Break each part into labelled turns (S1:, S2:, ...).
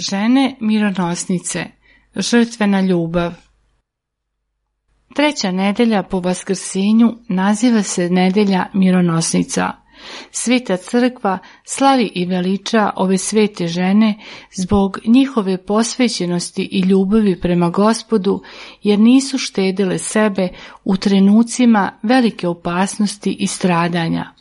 S1: Žene mironosnice, žrtvena ljubav. Treća nedelja po Vaskrsenju naziva se nedelja mironosnica. Sveta crkva slavi i veliča ove svete žene zbog njihove posvećenosti i ljubavi prema Gospodu, jer nisu štedile sebe u trenucima velike opasnosti i stradanja.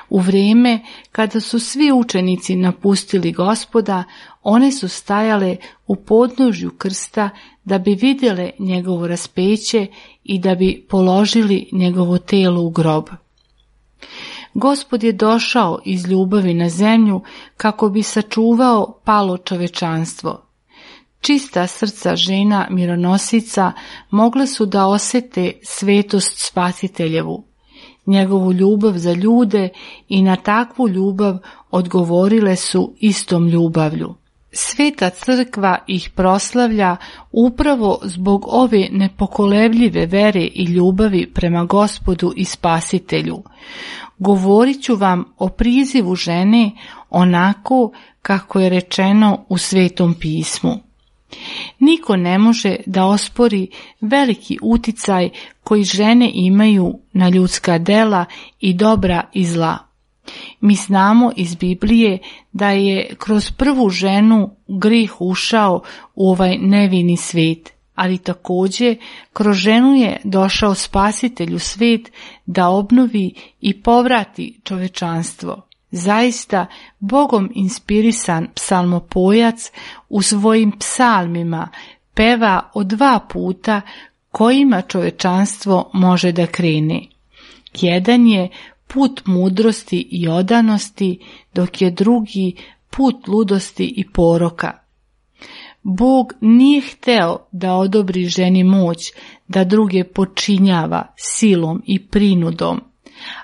S1: U vrijeme kada su svi učenici napustili Gospoda, one su stajale u podnožju krsta da bi vidjele njegovo raspeće i da bi položili njegovo telo u grob. Gospod je došao iz ljubavi na zemlju kako bi sačuvao palo čovečanstvo. Čista srca žena mironosica mogle su da osjete svetost Spasiteljevu, njegovu ljubav za ljude i na takvu ljubav odgovorile su istom ljubavlju. Sveta crkva ih proslavlja upravo zbog ove nepokolebljive vere i ljubavi prema Gospodu i Spasitelju. Govorit ću vam o prizivu žene onako kako je rečeno u Svetom pismu. Niko ne može da ospori veliki uticaj koji žene imaju na ljudska dela i dobra i zla. Mi znamo iz Biblije da je kroz prvu ženu grih ušao u ovaj nevini svijet, ali također kroz ženu je došao Spasitelj u svijet da obnovi i povrati čovečanstvo. Zaista, Bogom inspirisan psalmopojac u svojim psalmima peva o 2 puta kojima čovečanstvo može da krene. Jedan je put mudrosti i odanosti, dok je drugi put ludosti i poroka. Bog nije hteo da odobri ženi moć da druge počinjava silom i prinudom,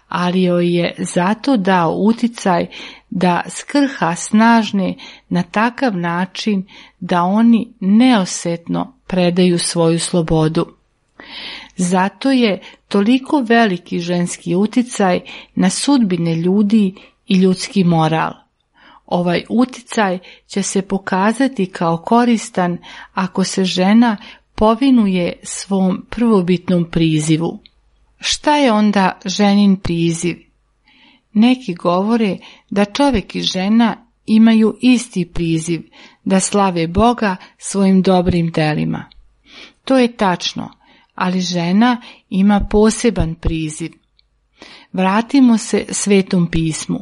S1: ali joj je zato dao uticaj da skrha snažne na takav način da oni neosetno predaju svoju slobodu. Zato je toliko veliki ženski uticaj na sudbine ljudi i ljudski moral. Ovaj uticaj će se pokazati kao koristan ako se žena povinuje svom prvobitnom prizivu. Šta je onda ženin priziv? Neki govore da čovjek i žena imaju isti priziv, da slave Boga svojim dobrim delima. To je tačno, ali žena ima poseban priziv. Vratimo se Svetom pismu.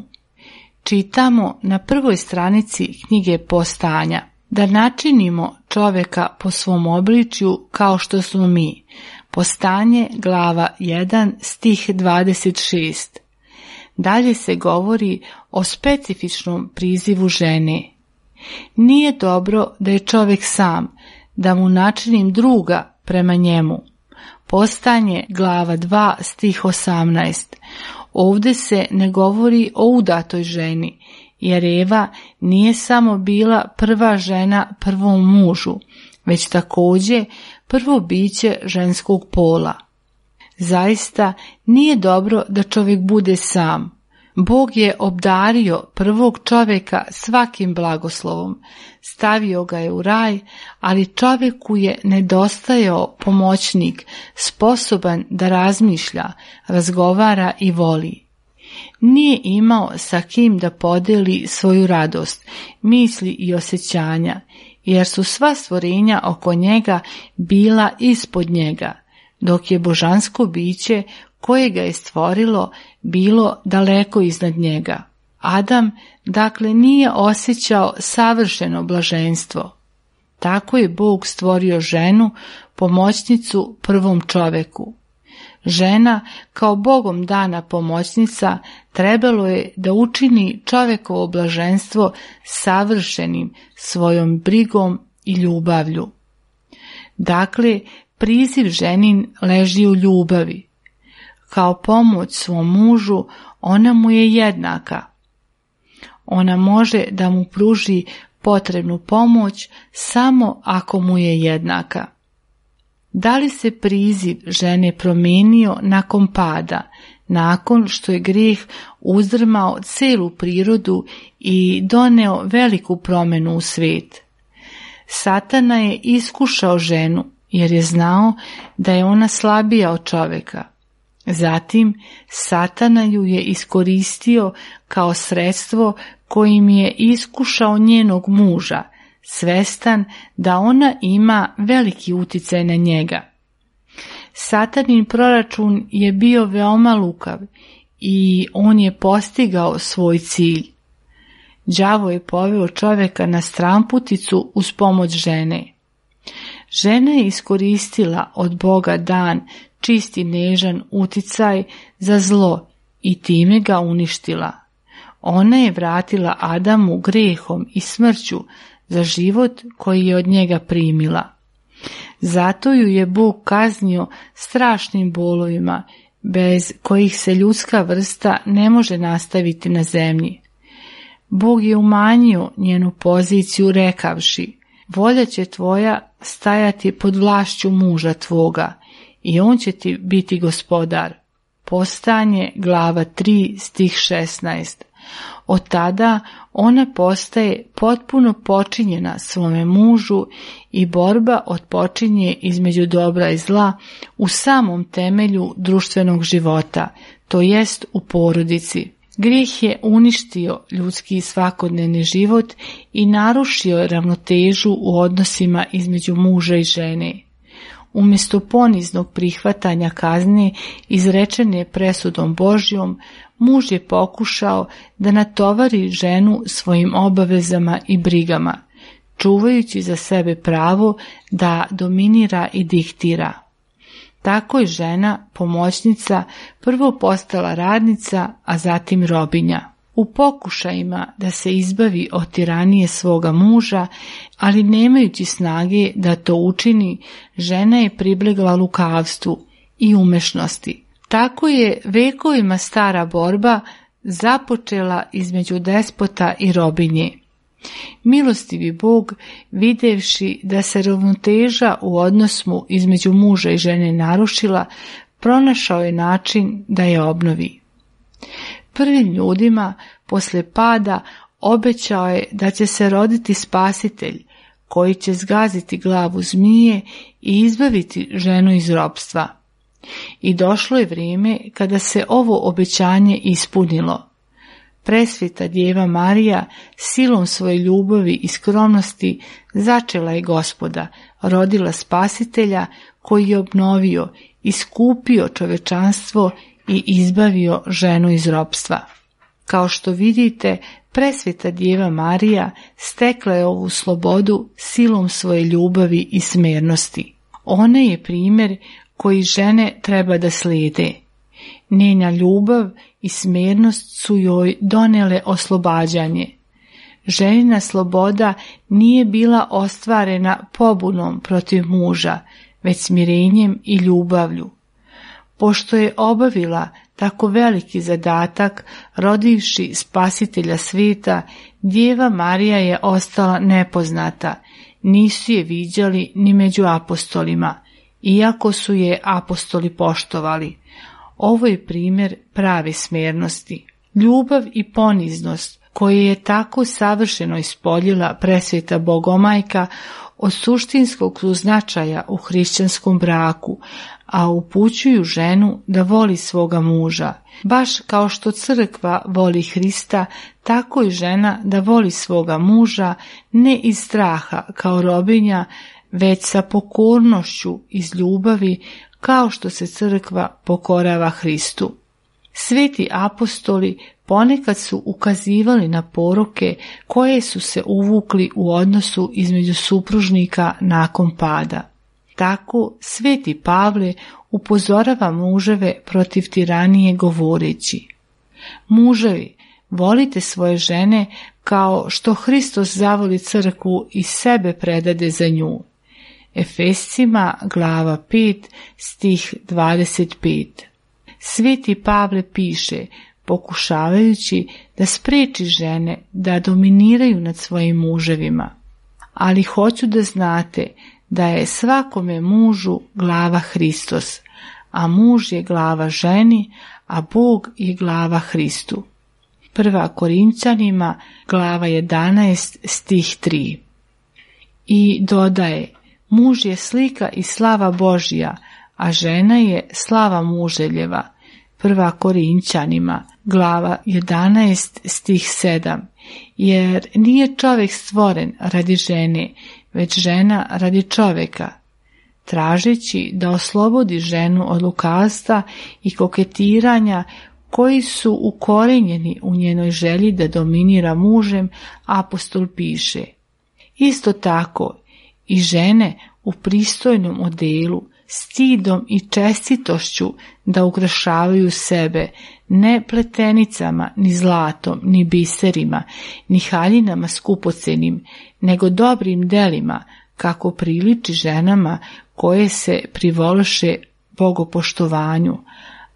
S1: Čitamo na 1. stranici knjige Postanja da načinimo čovjeka po svom obličju kao što smo mi. Postanje, glava 1, stih 26. Dalje se govori o specifičnom prizivu žene. Nije dobro da je čovjek sam, da mu načinim druga prema njemu. Postanje, glava 2, stih 18. Ovdje se ne govori o udatoj ženi, jer Eva nije samo bila prva žena prvom mužu, već također prvo biće ženskog pola. Zaista nije dobro da čovjek bude sam. Bog je obdario prvog čovjeka svakim blagoslovom, stavio ga je u raj, ali čovjeku je nedostajao pomoćnik, sposoban da razmišlja, razgovara i voli. Nije imao sa kim da podeli svoju radost, misli i osjećanja, jer su sva stvorenja oko njega bila ispod njega, dok je božansko biće koje ga je stvorilo bilo daleko iznad njega. Adam, dakle, nije osjećao savršeno blaženstvo. Tako je Bog stvorio ženu, pomoćnicu prvom čoveku. Žena, kao Bogom dana pomoćnica, trebalo je da učini čovekovo blaženstvo savršenim svojom brigom i ljubavlju. Dakle, priziv ženin leži u ljubavi. Kao pomoć svom mužu, ona mu je jednaka. Ona može da mu pruži potrebnu pomoć samo ako mu je jednaka. Da li se priziv žene promijenio nakon pada, nakon što je grijeh uzdrmao celu prirodu i doneo veliku promjenu u svijet? Satana je iskušao ženu jer je znao da je ona slabija od čovjeka. Zatim Satana ju je iskoristio kao sredstvo kojim je iskušao njenog muža, svestan da ona ima veliki uticaj na njega. Satanin proračun je bio veoma lukav i on je postigao svoj cilj. Đavo je poveo čovjeka na stramputicu uz pomoć žene. Žena je iskoristila od Boga dan čist i nežan uticaj za zlo i time ga uništila. Ona je vratila Adamu grehom i smrću za život koji je od njega primila. Zato ju je Bog kaznio strašnim bolovima, bez kojih se ljudska vrsta ne može nastaviti na zemlji. Bog je umanjio njenu poziciju rekavši: volja će tvoja stajati pod vlašću muža tvoga i on će ti biti gospodar. Postajanje, glava 3, stih 16. Od tada ona postaje potpuno počinjena svome mužu i borba otpočinje između dobra i zla u samom temelju društvenog života, to jest u porodici. Grijeh je uništio ljudski svakodnevni život i narušio ravnotežu u odnosima između muža i žene. Umjesto poniznog prihvatanja kazne izrečene presudom Božjom, muž je pokušao da natovari ženu svojim obavezama i brigama, čuvajući za sebe pravo da dominira i diktira. Tako je žena, pomoćnica, prvo postala radnica, a zatim robinja. U pokušajima da se izbavi od tiranije svoga muža, ali nemajući snage da to učini, žena je pribjegla lukavstvu i umešnosti. Tako je vekovima stara borba započela između despota i robinje. Milostivi Bog, videvši da se ravnoteža u odnosu između muža i žene narušila, pronašao je način da je obnovi. Prvim ljudima posle pada obećao je da će se roditi spasitelj koji će zgaziti glavu zmije i izbaviti ženu iz ropstva. I došlo je vrijeme kada se ovo obećanje ispunilo. Presveta Djeva Marija silom svoje ljubavi i skromnosti začela je Gospoda, rodila spasitelja koji je obnovio, iskupio čovečanstvo i izbavio ženu iz ropstva. Kao što vidite, presveta Djeva Marija stekla je ovu slobodu silom svoje ljubavi i smernosti. Ona je primjer koji žene treba da slijede. Njena ljubav i smernost su joj donele oslobađanje. Ženina sloboda nije bila ostvarena pobunom protiv muža, već smirenjem i ljubavlju. Pošto je obavila tako veliki zadatak, rodivši spasitelja svijeta, Djeva Marija je ostala nepoznata, nisu je viđali ni među apostolima, iako su je apostoli poštovali. Ovo je primjer prave smernosti. Ljubav i poniznost koje je tako savršeno ispoljila presveta Bogomajka od suštinskog su značaja u hrišćanskom braku, a upućuju ženu da voli svoga muža. Baš kao što crkva voli Hrista, tako i žena da voli svoga muža, ne iz straha kao robinja, već sa pokornošću iz ljubavi, kao što se crkva pokorava Hristu. Sveti apostoli ponekad su ukazivali na poroke koje su se uvukli u odnosu između supružnika nakon pada. Tako sveti Pavle upozorava muževe protiv tiranije govoreći: muževi, volite svoje žene kao što Hristos zavoli crkvu i sebe predade za nju. Efescima, glava 5, stih 25. Sveti Pavle piše, pokušavajući da spriječi žene da dominiraju nad svojim muževima. Ali hoću da znate da je svakome mužu glava Hristos, a muž je glava ženi, a Bog je glava Hristu. 1. Korinćanima, glava 11, stih 3. I dodaje, muž je slika i slava Božja, a žena je slava muželjeva. 1. Korinćanima, glava 11, stih 7. Jer nije čovjek stvoren radi žene, već žena radi čovjeka. Tražeći da oslobodi ženu od lukavstva i koketiranja koji su ukorenjeni u njenoj želji da dominira mužem, apostol piše: isto tako i žene u pristojnom odelu, stidom i čestitošću da ukrašavaju sebe, ne pletenicama, ni zlatom, ni biserima, ni haljinama skupocenim, nego dobrim delima, kako priliči ženama koje se privoliše bogopoštovanju,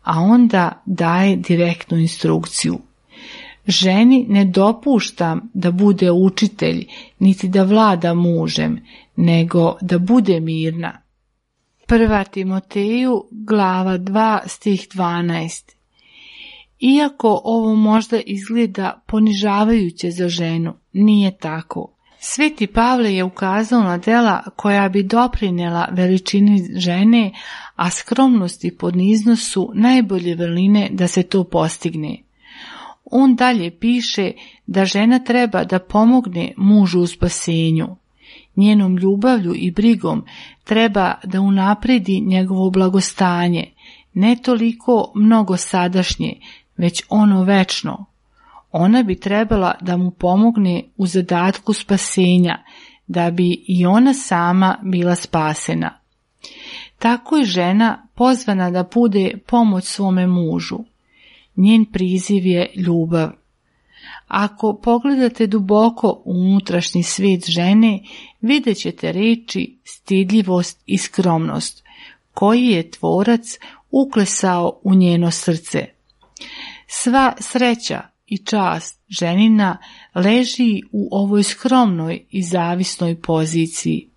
S1: a onda daje direktnu instrukciju. Ženi ne dopuštam da bude učitelj, niti da vlada mužem, nego da bude mirna. 1. Timoteju, glava 2, stih 12. Iako ovo možda izgleda ponižavajuće za ženu, nije tako. Sveti Pavle je ukazao na dela koja bi doprinijela veličini žene, a skromnost i poniznost su najbolje vrline da se to postigne. On dalje piše da žena treba da pomogne mužu u spasenju. Njenom ljubavlju i brigom treba da unapredi njegovo blagostanje, ne toliko mnogo sadašnje, već ono večno. Ona bi trebala da mu pomogne u zadatku spasenja, da bi i ona sama bila spasena. Tako je žena pozvana da bude pomoć svome mužu. Njen priziv je ljubav. Ako pogledate duboko u unutrašnji svijet žene, vidjet ćete reči stidljivost i skromnost, koji je Tvorac uklesao u njeno srce. Sva sreća i čast ženina leži u ovoj skromnoj i zavisnoj poziciji.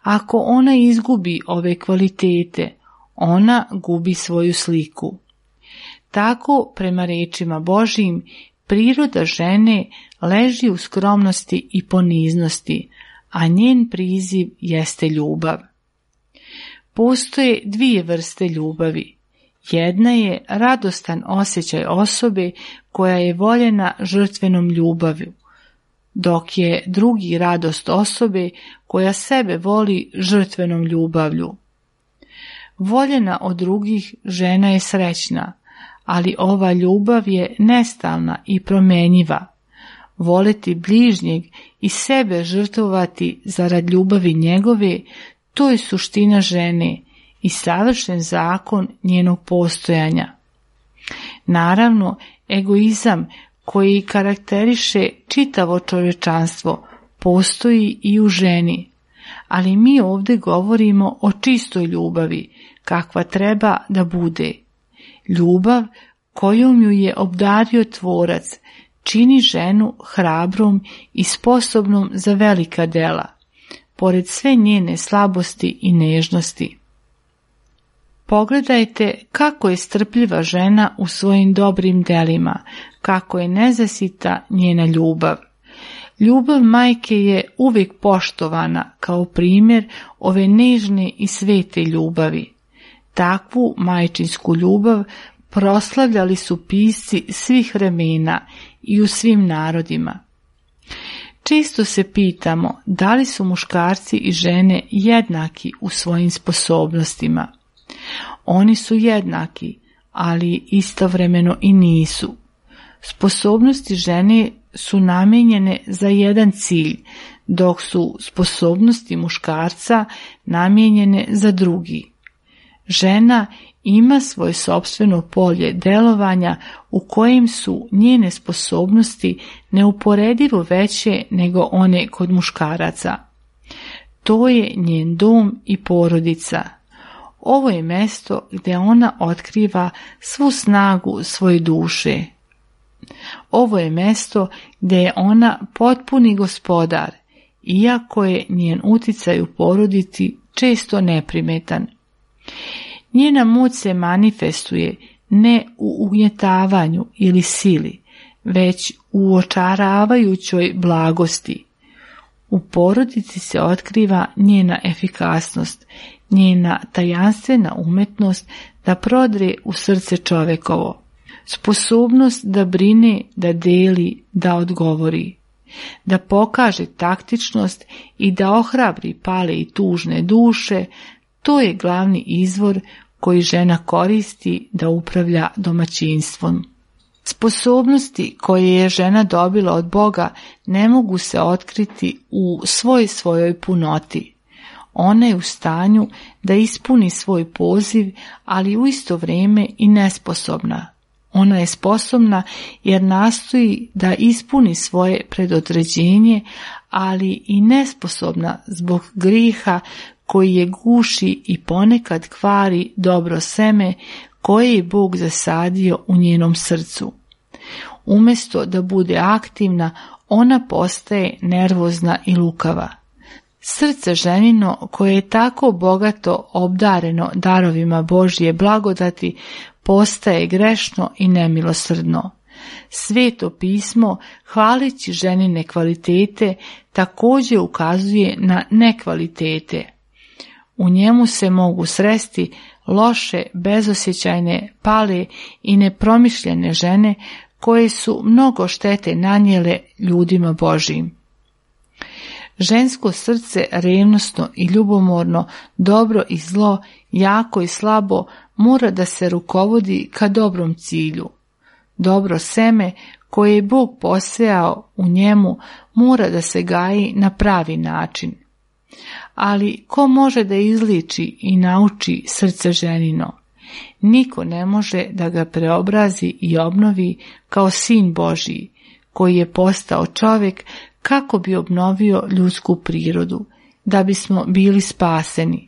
S1: Ako ona izgubi ove kvalitete, ona gubi svoju sliku. Tako, prema rečima Božjim, priroda žene leži u skromnosti i poniznosti, a njen priziv jeste ljubav. Postoje dvije vrste ljubavi. Jedna je radostan osjećaj osobe koja je voljena žrtvenom ljubavlju, dok je drugi radost osobe koja sebe voli žrtvenom ljubavlju. Voljena od drugih žena je srećna, ali ova ljubav je nestalna i promenjiva. Voleti bližnjeg i sebe žrtvovati zarad ljubavi njegove, to je suština žene i savršen zakon njenog postojanja. Naravno, egoizam koji karakteriše čitavo čovječanstvo postoji i u ženi, ali mi ovdje govorimo o čistoj ljubavi, kakva treba da bude. Ljubav kojom ju je obdario Tvorac čini ženu hrabrom i sposobnom za velika dela, pored sve njene slabosti i nežnosti. Pogledajte kako je strpljiva žena u svojim dobrim delima, kako je nezasita njena ljubav. Ljubav majke je uvijek poštovana kao primjer ove nežne i svete ljubavi. Takvu majčinsku ljubav proslavljali su pisci svih vremena i u svim narodima. Često se pitamo da li su muškarci i žene jednaki u svojim sposobnostima. Oni su jednaki, ali istovremeno i nisu. Sposobnosti žene su namijenjene za jedan cilj, dok su sposobnosti muškarca namijenjene za drugi. Žena ima svoje sopstveno polje delovanja u kojem su njene sposobnosti neuporedivo veće nego one kod muškaraca. To je njen dom i porodica. Ovo je mjesto gdje ona otkriva svu snagu svoje duše. Ovo je mjesto gdje je ona potpuni gospodar, iako je njen uticaj u porodici često neprimetan. Njena moć se manifestuje ne u ugnjetavanju ili sili, već u očaravajućoj blagosti. U porodici se otkriva njena efikasnost, njena tajanstvena umetnost da prodre u srce čovekovo, sposobnost da brine, da deli, da odgovori, da pokaže taktičnost i da ohrabri pale i tužne duše. To je glavni izvor koji žena koristi da upravlja domaćinstvom. Sposobnosti koje je žena dobila od Boga ne mogu se otkriti u svojoj punoti. Ona je u stanju da ispuni svoj poziv, ali u isto vrijeme i nesposobna. Ona je sposobna jer nastoji da ispuni svoje predodređenje, ali i nesposobna zbog griha koji je guši i ponekad kvari dobro seme koje je Bog zasadio u njenom srcu. Umjesto da bude aktivna, ona postaje nervozna i lukava. Srce ženino, koje je tako bogato obdareno darovima Božje blagodati, postaje grešno i nemilosrdno. Sveto pismo, hvaleći ženine kvalitete, također ukazuje na nekvalitete. U njemu se mogu sresti loše, bezosjećajne, pale i nepromišljene žene koje su mnogo štete nanijele ljudima Božjim. Žensko srce revnosno i ljubomorno, dobro i zlo, jako i slabo, mora da se rukovodi ka dobrom cilju. Dobro seme koje je Bog posejao u njemu mora da se gaji na pravi način. Ali ko može da izliči i nauči srce ženino? Niko ne može da ga preobrazi i obnovi kao sin Božji, koji je postao čovjek kako bi obnovio ljudsku prirodu, da bismo bili spaseni.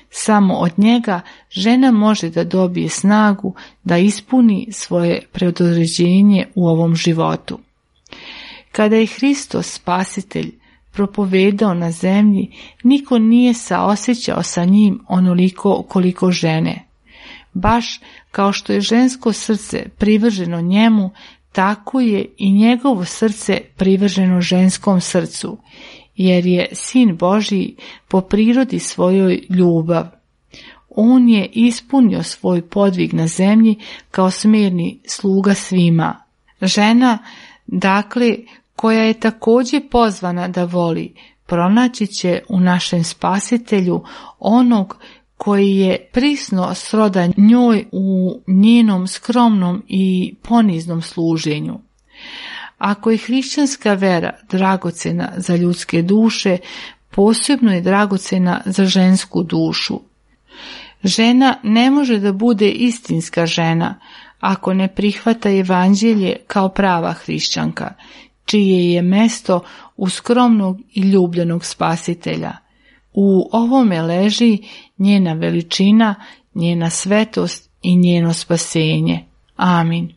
S1: Samo od njega žena može da dobije snagu da ispuni svoje predodređenje u ovom životu. Kada je Hristos spasitelj propovedao na zemlji, niko nije saosjećao sa njim onoliko koliko žene. Baš kao što je žensko srce privrženo njemu, tako je i njegovo srce privrženo ženskom srcu, jer je Sin Božji po prirodi svojoj ljubav. On je ispunio svoj podvig na zemlji kao smirni sluga svima. Žena, dakle, koja je također pozvana da voli, pronaći će u našem Spasitelju onog koji je prisno srodan njoj u njenom skromnom i poniznom služenju. Ako je hrišćanska vera dragocjena za ljudske duše, posebno je dragocjena za žensku dušu. Žena ne može da bude istinska žena ako ne prihvata evanđelje kao prava hrišćanka, čije je mesto u skromnog i ljubljenog Spasitelja. U ovome leži njena veličina, njena svetost i njeno spasenje. Amin.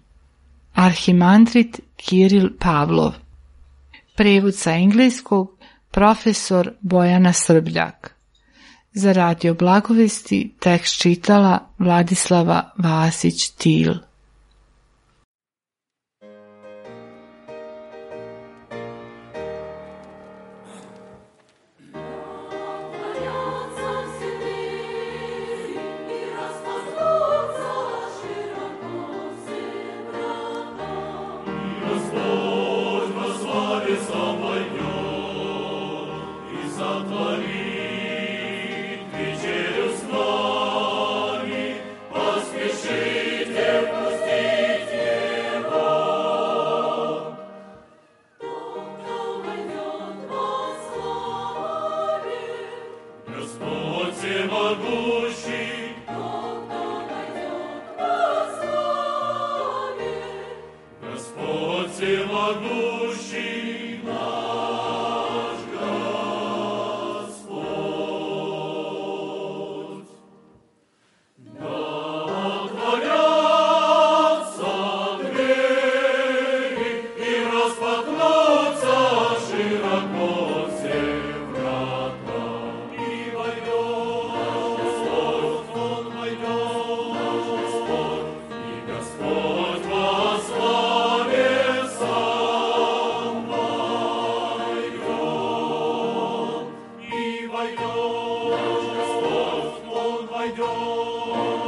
S1: Arhimandrit Kiril Pavlov. Prevod sa engleskog profesor Bojana Srbljak. Za Radio Blagovesti tekst čitala Vladislava Vasić-Til.
S2: Всемогущий